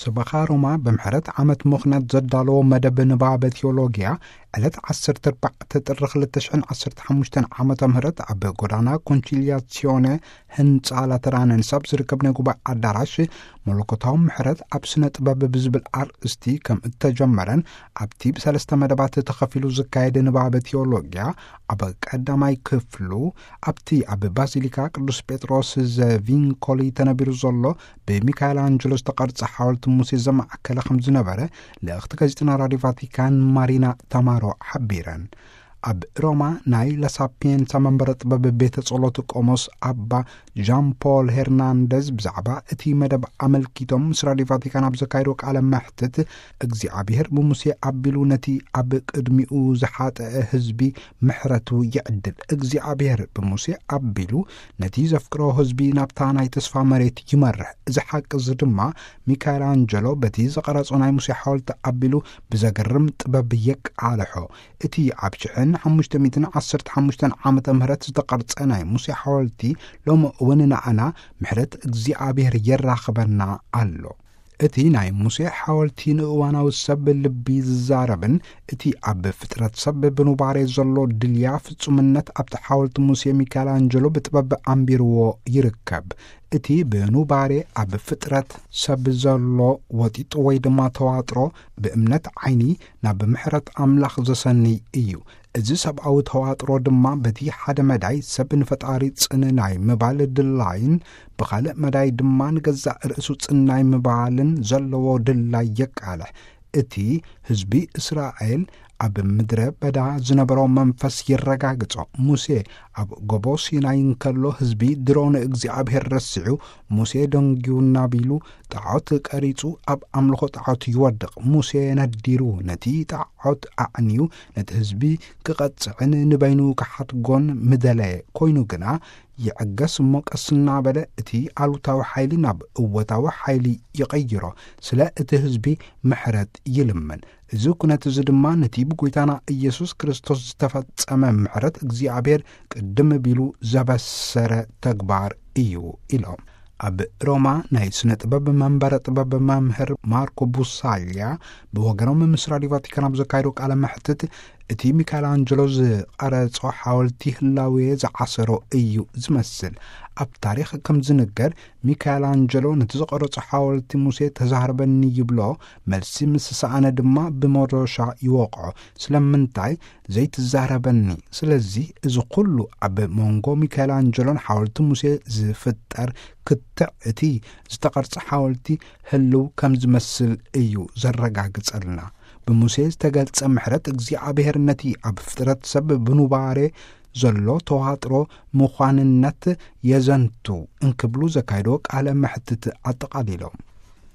ሰበኻ ሮማ ብምሕረት ዓመት ምኽንያት ዘዳለዎ መደብ ንባበ ቴዎሎጊያ ዕለት ዓሰርተ ኣርባዕተ ጥሪ ክልተ ሽሕን ዓሰርተ ሓሙሽተን ዓመተ ምህረት ኣብ ጎዳና ኮንቺልያሲዮነ ህንፃ ላተራነንስ ኣብ ዝርከብ ናይ ጉባኤ ኣዳራሽ መለኮታዊ ምሕረት ኣብ ስነ ጥበብ ብዝብል ኣርእስቲ ከም እተጀመረን ኣብቲ ብሰለስተ መደባት ተኸፊሉ ዝካየድ ንባበ ቴዎሎጊያ ኣብ ቀዳማይ ክፍሉ ኣብቲ ኣብ ባዚሊካ ቅዱስ ጴጥሮስ ዘቪንኮሊ ተነቢሩ ዘሎ ብሚካኤል ኣንጀሎ ዝተቐርጸ ሓወልቲ ሙሴ ዘማእከለ ከም ዝነበረ ልእኽቲ ጋዜጠና ራድዮ ቫቲካን ማሪና ታማሮ ሓቢረን። ኣብ ሮማ ናይ ላሳፒየንሳ መንበረ ጥበብ ቤተ ጸሎት ቆሞስ ኣባ ዣን ፖል ሄርናንደዝ ብዛዕባ እቲ መደብ ኣመልኪቶም ምስ ራድዮ ቫቲካን ኣብ ዘካየዶ ቃለ መሕትት እግዚኣብሔር ብሙሴ ኣቢሉ ነቲ ኣብ ቅድሚኡ ዝሓጠአ ህዝቢ ምሕረቱ ይዕድል። እግዚኣብሔር ብሙሴ ኣቢሉ ነቲ ዘፍቅሮ ህዝቢ ናብታ ናይ ተስፋ መሬት ይመርሕ። እዚ ሓቂ እዚ ድማ ሚካኤል ኣንጀሎ በቲ ዝቐረጾ ናይ ሙሴ ሓወልቲ ኣቢሉ ብዘገርም ጥበብ የቃልሖ። እቲ ኣብ ሽሕን ሓሙሽተ ሚእትን ዓሰርተ ሓሙሽተን ዓመተ ምህረት ዝተቐርጸ ናይ ሙሴ ሓወልቲ ሎሚ እውን ንኣና ምሕረት እግዚኣብሔር የራኽበና ኣሎ። እቲ ናይ ሙሴ ሓወልቲ ንእዋናዊ ሰብ ልቢ ዝዛረብን እቲ ኣብ ፍጥረት ሰብ ብኑባሬ ዘሎ ድልያ ፍጹምነት ኣብቲ ሓወልቲ ሙሴ ሚካኤል ኣንጀሎ ብጥበብ ኣንቢርዎ ይርከብ። እቲ ብኑባሬ ኣብ ፍጥረት ሰብ ዘሎ ወጢጡ ወይ ድማ ተዋጥሮ ብእምነት ዓይኒ ናብ ምሕረት ኣምላኽ ዘሰንይ እዩ። እዚ ሰብኣዊ ተዋጥሮ ድማ በቲ ሓደ መዳይ ሰብ ንፈጣሪ ጽን ናይ ምባል ድላይን ብኻልእ መዳይ ድማ ንገዛእ ርእሱ ጽን ናይ ምባልን ዘለዎ ድላይ የቃልሕ። እቲ ህዝቢ እስራኤል ኣብ ምድረ በዳ ዝነበሮ መንፈስ የረጋግጾ። ሙሴ ኣብ ጎቦ ሲናይ እንከሎ ህዝቢ ድሮ ንእግዚኣብሔር ረሲዑ ሙሴ ደንጊዩ እናቢሉ ጣዖት ቀሪጹ ኣብ ኣምልኾ ጣዖት ይወድቕ። ሙሴ ነዲሩ ነቲ ጣዖት ኣዕንዩ ነቲ ህዝቢ ክቐጽዕን ንበይኑ ክሓድጎን ምደለየ። ኮይኑ ግና ይዕገስ እሞ ቀስ እናበለ እቲ ኣሉታዊ ሓይሊ ናብ እወታዊ ሓይሊ ይቐይሮ። ስለ እቲ ህዝቢ ምሕረት ይልምን። እዚ ኩነት እዚ ድማ ነቲ ብጎይታና ኢየሱስ ክርስቶስ ዝተፈጸመ ምሕረት እግዚኣብሔር ቅድም ቢሉ ዘበሰረ ተግባር እዩ ኢሎም። ኣብ ሮማ ናይ ስነ ጥበብ መንበረ ጥበብ መምህር ማርኮ ቡሳልያ ብወገኖም ምስ ራዲዮ ቫቲካን ኣብ ዘካየዶ ቃለ መሕትት እቲ ሚካኤል ኣንጀሎ ዝቐረጾ ሓወልቲ ህላዌ ዝዓሰሮ እዩ ዝመስል። ኣብ ታሪኽ ከም ዝንገር ሚካኤል ኣንጀሎ ነቲ ዝቐረጾ ሓወልቲ ሙሴ ተዛረበኒ ይብሎ፣ መልሲ ምስ ሰኣነ ድማ ብመዶሻ ይወቕዖ። ስለምንታይ ዘይትዛረበኒ? ስለዚ እዚ ኩሉ ኣብ መንጎ ሚካኤል ኣንጀሎን ሓወልቲ ሙሴ ዝፍጠር ክትዕ እቲ ዝተቐርጸ ሓወልቲ ህልው ከም ዝመስል እዩ ዘረጋግጸልና። ብሙሴ ዝተገልጸ ምሕረት እግዚኣብሔር ነቲ ኣብ ፍጥረት ሰብ ብኑባሬ ዘሎ ተዋጥሮ ምዃንነት የዘንቱ እንክብሉ ዘካየዶ ቃለ መሕትት ኣጠቓሊሎም።